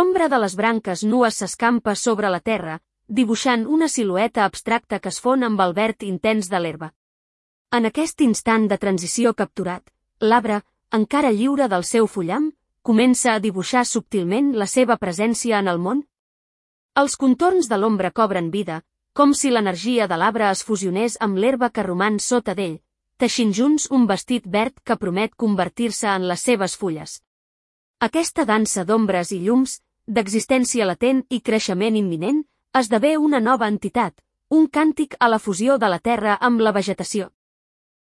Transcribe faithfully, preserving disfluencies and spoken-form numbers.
L'ombra de les branques nues s'escampa sobre la terra, dibuixant una silueta abstracta que es fon amb el verd intens de l'herba. En aquest instant de transició capturat, l'arbre, encara lliure del seu fullam, comença a dibuixar subtilment la seva presència en el món. Els contorns de l'ombra cobren vida, com si l'energia de l'arbre es fusionés amb l'herba que roman sota d'ell, teixint junts un vestit verd que promet convertir-se en les seves fulles. Aquesta dansa d'ombres i llums, d'existència latent i creixement imminent, esdevé una nova entitat, un càntic a la fusió de la terra amb la vegetació.